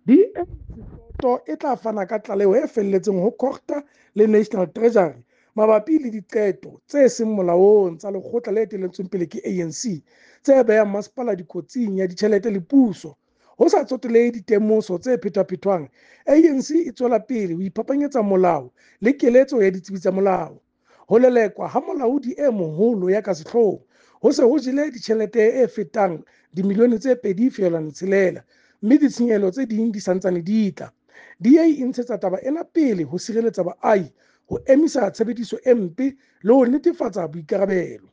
DA Soto e tla fana ka tlaleho e felletseng ho Cogta le National Treasury mabapi le diqeto tse seng molaong tsa lekgotla le etelletsweng pele ke ANC tse behang masepala dikotsing ya ditjhelete le puso. Ho sa tsotelehe ditemoso tse phetwaphethwang, ANC e tswela pele ho iphapanyetsa molao le keletso ya ditsebi tsa molao. Ho lelekwa ha molaodi e moholo ya ka sehloohong ho se ho jele ditjhelete e fetang dimilione tse 2.6 mme ditshenyehelo tse ding di santsane di tla. DA e ntshetsa taba ena pele ho sireletsa baahi, ho emisa tshebediso e mpe le ho netefatsa boikarabelo.